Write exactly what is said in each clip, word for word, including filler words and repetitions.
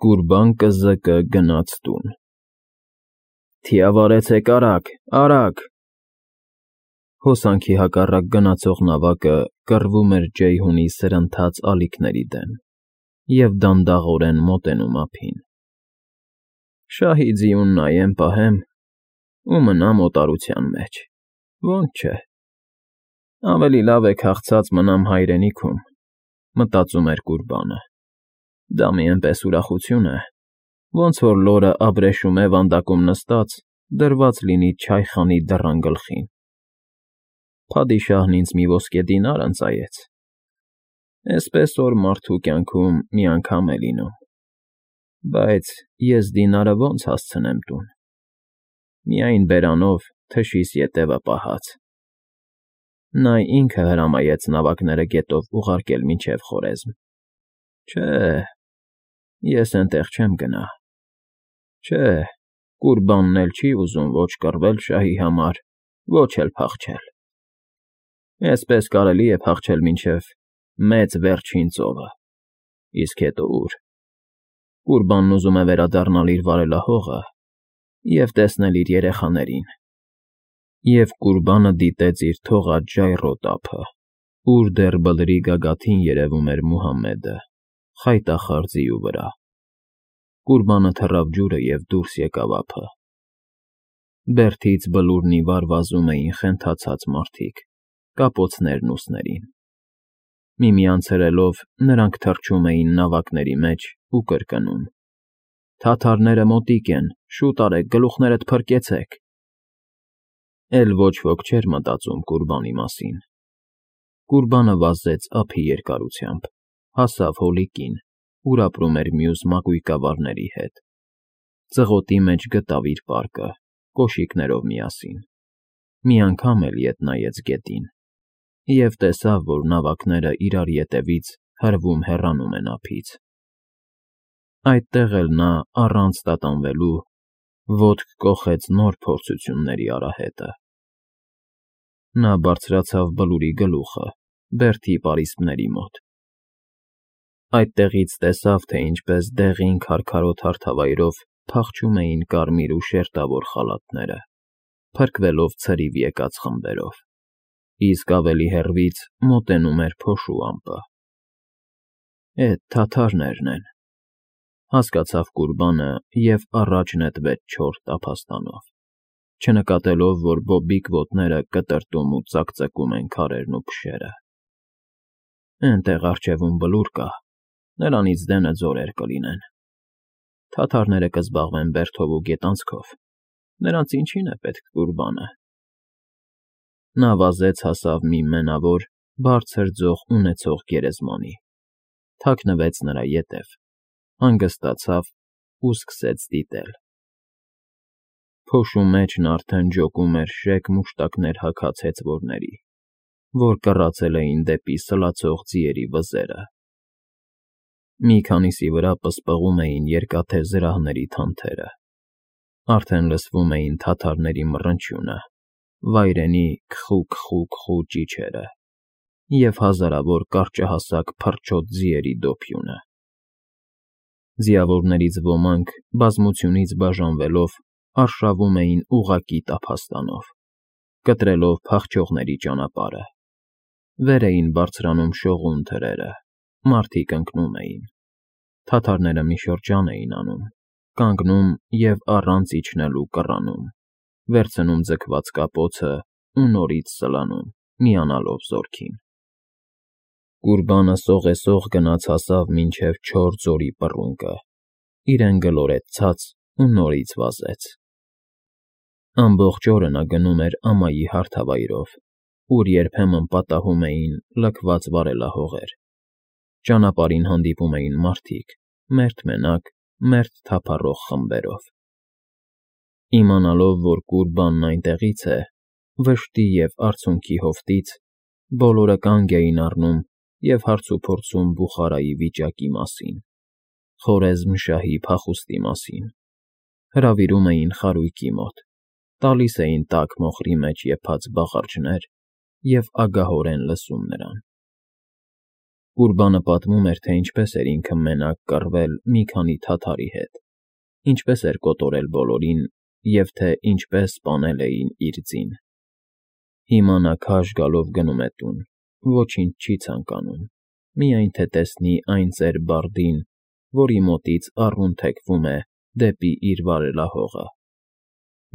Կուրբան կզկը գնաց տուն։ Թիավարեցեք արագ, արագ… Հոսանքի հակառակ գնացող նավակը կռվում էր Ջեյհունի սրընթաց ալիքների դեմ և դանդաղորեն մոտենում ափին։ Շահի ձիուն նայեմ պահեմ ու մնամ օտարության մեջ, ոնց չէ… Ավելի լավ է քաղցած մնամ հայրենիքում, մտածում էր Կուրբանը։ Դա մի էնպես ուրախություն է, ոնց որ լորը ապրեշում է վանդակում նստած, դրված լինի չայխանի դռան գլխին։ Փադիշահն ինձ մի ոսկե դինար ընծայեց։ Էսպես որ մարդու կյանքում մի անգամ է լինում, բայց ես դինարը ո՞նց հասցնեմ տուն… Միայն բերանով թշիս ետևը պահած։ Նա ինքը հրամայեց նավակները գետով ուղարկել մինչև Խորեզմ։ Չէ, ես էնտեղ չեմ գնա։ Չէ, Կուրբանն էլ չի ուզում ոչ կռվել շահի համար, ոչ էլ փախչել։ Էսպես կարելի է փախչել մինչև Մեծ Վերջին ծովը, իսկ հետո ուր… Կուրբանն ուզում է վերադառնալ իր վարելահողը և տեսնել իր երեխաներին… Եվ Կուրբանը դիտեց իր թողած ժայռոտ ափը, ուր դեռ բլրի գագաթին երևում էր Մուհամմեդը խայտախառ ձիու վրա։ Կուրբանը թռավ ջուրը և դուրս եկավ ափը։ Բերդից բլուրն ի վար վազում էին խենթացած մարդիկ, կապոցներն ուսներին։ Միմյանց հրելով՝ նրանք թռչում էին նավակների մեջ ու կրկնում. «Թաթարները մոտիկ են, շուտ արեք, գլուխներդ փրկեցեք»։ Էլ ոչ ոք չէր մտածում Կուրբանի մասին։ Կուրբանը վազեց ափի երկարությամբ, հասավ հոլիկին, ուր ապրում էր մյուս մակույկավարների հետ։ Ծղոտի մեջ գտավ իր պարկը, կոշիկներով միասին։ Մի անգամ էլ ետ նայեց գետին և տեսավ, որ նավակները իրար ետևից հրվում֊հեռանում են ափից։ Այդտեղ էլ նա, առանց տատանվելու, ոտք կոխեց նոր փորձությունների արահետը։ Նա բարձրացավ բլուրի գլուխը, բերդի պարիսպների մոտ։ Այդտեղից տեսավ, թե ինչպես դեղին քարքարոտ հարթավայրով փախչում էին կարմիր ու շերտավոր խալաթները, փրկվելով ցրիվ եկած խմբերով, իսկ ավելի հեռվից մոտենում էր փոշու ամպը։ Էդ թաթարներն են, հասկացավ Կուրբանը և առաջ նետվեց չոր տափաստանով, չնկատելով, որ բոբիկ ոտները կտրտում ու ծակծկում են քարերն ու փշերը։ Էնտեղ առջևում բլուր կա, նրանից դենը ձորեր կլինեն։ Թաթարները կզբաղվեն բերդով ու գետանցքով, նրանց ինչին է պետք Կուրբանը։ Նա վազեց հասավ մի մենավոր, բարձր ձող ունեցող գերեզմանի, թաքնվեց նրա ետև, հանգստացավ ու սկսեց դիտել։ Փոշու մեջն արդեն ջոկում էր շեկ մուշտակներ հագած հեծվորների, որ կռացել էին դեպի սլացող ձիերի վզերը։ Մի քանիսի վրա պսպղում էին երկաթե զրահների թանթերը, արդեն լսվում էին թաթարների մռնչյունը, վայրենի քխու֊քխու֊քխու ճիչերը և հազարավոր կարճահասակ փռչոտ ձիերի դոփյունը։ Ձիավորներից ոմանք, բազմությունից բաժանվելով, արշավում էին ուղղակի տափաստանով, կտրելով փախչողների ճանապարհը։ Վեր էին բարձրանում շողուն թրերը, մարդիկ ընկնում էին։ Թաթարները մի շրջան էին անում, կանգնում և առանց իջնելու կռանում, վերցնում ձգված կապոցն ու նորից սլանում, միանալով զորքին։ Կուրբանը սողեսող գնաց հասավ մինչև չոր ձորի պռունկը, իրեն գլորեց ցած ու նորից վազեց։ Ամբողջ օրը նա գնում էր ամայի հարթավայրով, ուր երբեմն պատահում էին լքված վարելահողեր։ Ճանապարհին հանդիպում էին մարդիկ, մերթ֊մենակ, մերթ թափառող խմբերով։ Իմանալով, որ Կուրբանն այնտեղից է, վշտի և արցունքի հովտից, բոլորը կանգ էին առնում և հարցուփորձում Բուխարայի վիճակի մասին, Խորեզմ շահի փախուստի մասին, հրավիրում էին խարույկի մոտ, տալիս էին տաք մոխրի մեջ եփած բաղարջներ և ագահորեն լսում նրան։ Կուրբանը պատմում էր, թե ինչպես էր ինքը մենակ կռվել մի քանի թաթարի հետ, ինչպես էր կոտորել բոլորին և թե ինչպես սպանել էին իր ձին։ Հիմա նա քաշ գալով գնում է տուն, ոչինչ չի ցանկանում, միայն թե տեսնի այն ծեր բարդին, որի մոտից առուն թեքվում է դեպի իր վարելահողը,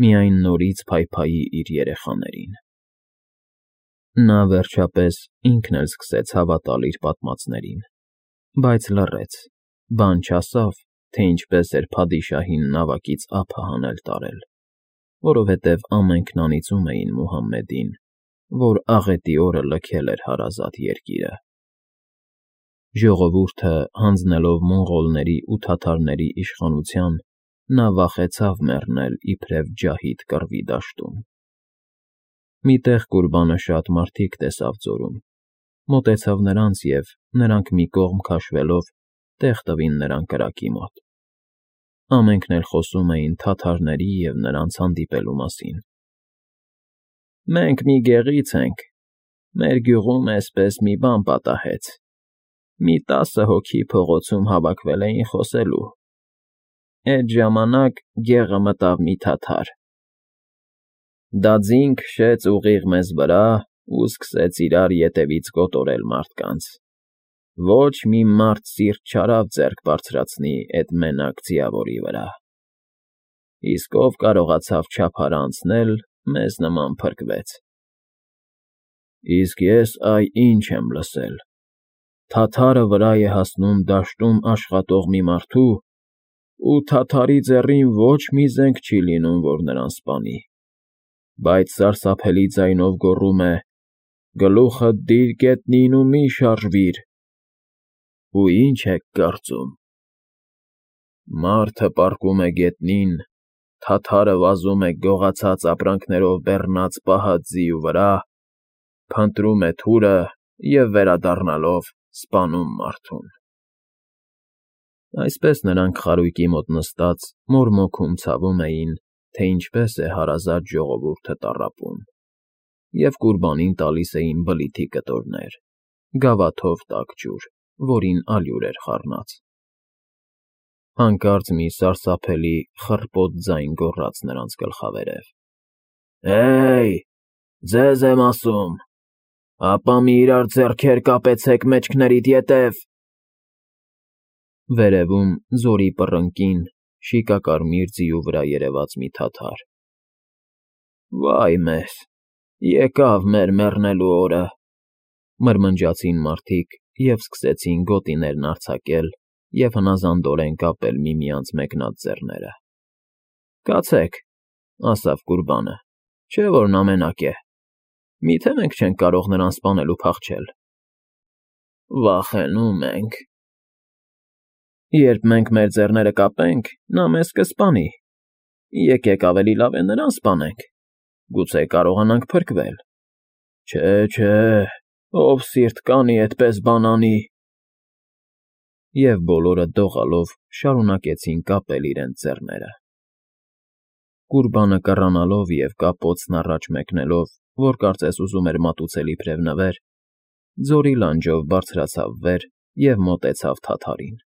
միայն նորից փայփայի իր երեխաներին։ Նա, վերջապես, ինքն էլ սկսեց հավատալ իր պատմածներին, բայց լռեց, բան չասավ, թե ինչպես էր փադիշահին նավակից ափը հանել տարել, որովհետև ամենքն անիծում էին Մուհամմեդին, որ աղետի օրը լքել էր հարազատ երկիրը։ Ժողովուրդը, հանձնելով մոնղոլների ու թաթարների իշխանության, նա վախեցավ մեռնել իբրև ջահիդ կռվի դաշտում։ Մի տեղ Կուրբանը շատ մարդիկ տեսավ ձորում, մոտեցավ նրանց և, նրանք մի կողմ քաշվելով, տեղ տվին նրան կրակի մոտ։ Ամենքն էլ խոսում էին թաթարների և նրանց հանդիպելու մասին։ «Մենք մի գեղից ենք, մեր գյուղում էսպես մի բան պատահեց, մի տասը հոգի փողոցում հավաքվել էին խոսելու, էդ ժամանակ գեղը մտավ մի թաթար, դա ձին քշեց ուղիղ մեզ վրա ու սկսեց իրար ետևից կոտորել մարդկանց, ոչ մի մարդ սիրտ չարավ ձեռք բարձրացնի էդ մենակ ձիավորի վրա, իսկ ով կարողացավ չափար անցնել, մեզ նման փրկվեց։ Իսկ ես այ ինչ եմ լսել. թաթարը վրա է հասնում դաշտում աշխատող մի մարդու, ու թաթարի ձեռին ոչ մի զենք չի լինում, որ նրան սպանի, բայց սարսափելի ձայնով գոռում է. «Գլուխդ դիր գետնին ու մի շարժվիր»։ Ու ի՞նչ եք կարծում. մարդը պառկում է գետնին, թաթարը վազում է գողացած ապրանքներով բեռնած պահած ձիու վրա, փնտրում է թուրը և, վերադառնալով, սպանում մարդուն։ Այսպես նրանք խարույկի մոտ նստած մորմոքում ցավում էին, թե ինչպես է հարազատ ժողովուրդը տառապում, և Կուրբանին տալիս էին բլիթի կտորներ, գավաթով տաք ջուր, որին ալյուր էր խառնած։ Հանկարծ մի սարսափելի խռպոտ ձայն գոռաց նրանց գլխավերև. «Հե՜յ, ձեզ եմ ասում, ապա մի իրար ձեռքեր կապեցեք մեջքներիդ ետև»։ Վերևում, ձորի պռնկին, շիկակարմիր ձիու վրա երևաց մի թաթար։ «Վայ մեզ, եկավ մեր մեռնելու օրը», մրմնջացին մարդիկ և սկսեցին գոտիներն արձակել և հնազանդորեն կապել միմյանց մեկնած ձեռները։ «Կացեք», ասավ Կուրբանը, չէ՞ որ նա մենակ է, մի՞թե մենք չենք կարող նրան սպանել ու փախչել։ Վախենում ենք։ Երբ մենք մեր ձեռները կապենք, նա մեզ կսպանի, եկեք ավելի լավ է նրան սպանենք, գուցե կարողանանք փրկվել։ Չէ, չէ, ով սիրտ կանի էդպես բան անի։ Եվ բոլորը դողալով շարունակեցին կապել իրենց ձեռները։ Կուրբանը կռանալով և կապոցն առաջ մեկնելով, որ կարծես ուզում էր մատուցել իբրև նվեր, ձորի լանջով բարձրացավ վեր և մոտեցավ թաթարին։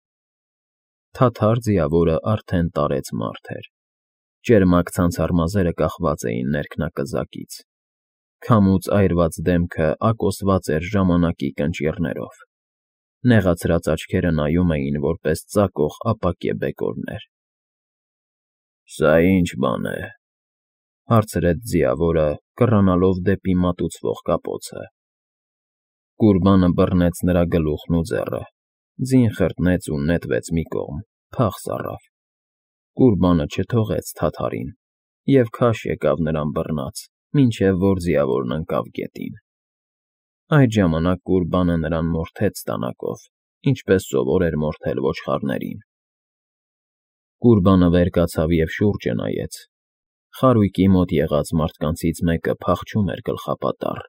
Թաթար ձիավորը արդեն տարեց մարդ էր, ճերմակ ցանցառ մազերը կախված էին ներքնակզակից, քամուց այրված դեմքը ակոսված էր ժամանակի կնճիռներով, նեղացրած աչքերը նայում էին որպես ծակող ապակե բեկորներ։ «Սա ի՞նչ բան է,֊ հարցրեց ձիավորը, կռանալով դեպի մատուցվող կապոցը։ Կուրբանը բռնեց նրա գլուխն ու ձեռը, ձին խրտնեց ու նետվեց մի կողմ, փախ սառավ։ Կուրբանը չթողեց թաթարին և քաշ եկավ նրան բռնած, մինչև որ ձիավորն ընկավ գետին։ Այդ ժամանակ Կուրբանը նրան մորթեց տանակով, ինչպես սովոր էր մորթել ոչխարներին։ Կուրբանը վեր կացավ և շուրջը նայեց։ Խարույկի մոտ եղած մարդկանցից մեկը փախչում էր գլխապատառ,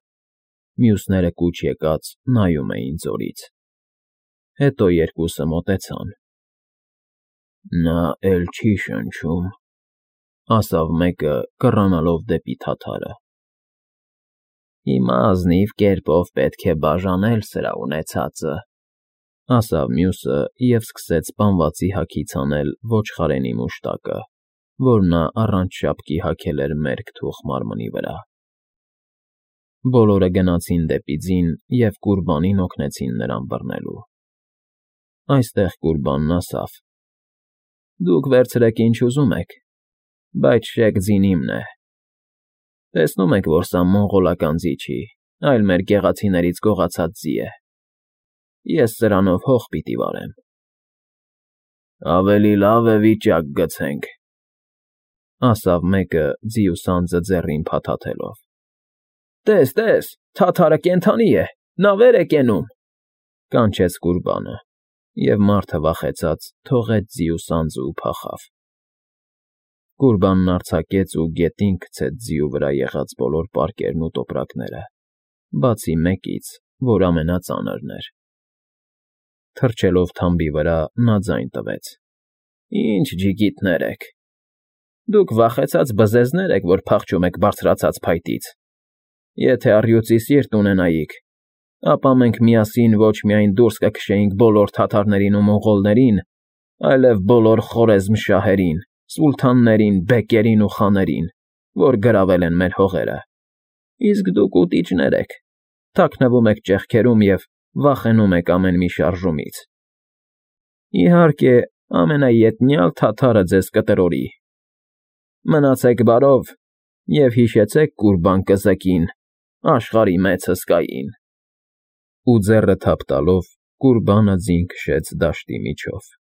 մյուսները կուչ եկած նայում էին ձորից։ Հետո երկուսը մոտեցան։ «Նա էլ չի շնչում,֊ ասավ մեկը, կռանալով դեպի թաթարը։ Հիմա ազնիվ կերպով պետք է բաժանել սրա ունեցածը, ասավ մյուսը և սկսեց պանվածի հագից անել ոչխարենի մուշտակը, որ նա առանց շապկի հագել էր մերկ թուխ մարմնի վրա։ Բոլորը գնացին դեպի ձին և Կուրբանին օգնեցին նրան բռնելու։ Այստեղ Կուրբանն ասավ. «Դուք վերցրեք ինչ ուզում եք, բայց շեք ձին իմն է։ Տեսնում եք, որ սա մոնղոլական ձի չի, այլ մեր գեղացիներից գողացած ձի է։ Ես սրանով հող պիտի վարեմ»։ «Ավելի լավ է վիճակ գցենք», ասավ մեկը ձիու սանձը ձեռին փաթաթելով։ «Տես, տես, թաթարը կենդանի է, նա վեր է կենում», կանչեց Կուրբանը, և մարդը վախեցած թողեց ձիու սանձն ու փախավ։ Կուրբանն արձակեց ու գետին գցեց ձիու վրա եղած բոլոր պարկերն ու տոպրակները, բացի մեկից, որ ամենածանրն էր։ Թռչելով թամբի վրա՝ նա ձայն տվեց. «Ինչ ջիգիտներ եք… Դուք վախեցած բզեզներ եք, որ փախչում եք բարձրացած փայտից… Եթե առյուծի սիրտ ունենայիք, ապա մենք միասին ոչ միայն դուրս կքշեինք բոլոր թաթարներին ու մոնղոլներին, այլև բոլոր խորեզմ֊շահերին, սուլթաններին, բեկերին ու խաներին, որ գրավել են մեր հողերը… Իսկ դուք ուտիչներ եք, թաքնվում եք ճեղքերում և վախենում եք ամեն մի շարժումից… Իհարկե, ամենաետնյալ թաթարը ձեզ կտրորի… Մնացեք բարով և հիշեցեք Կուրբան կզկին, աշխարհի մեծ հսկային»։ Ու ձեռը թափ տալով Կուրբանը ձին քշեց դաշտի միջով։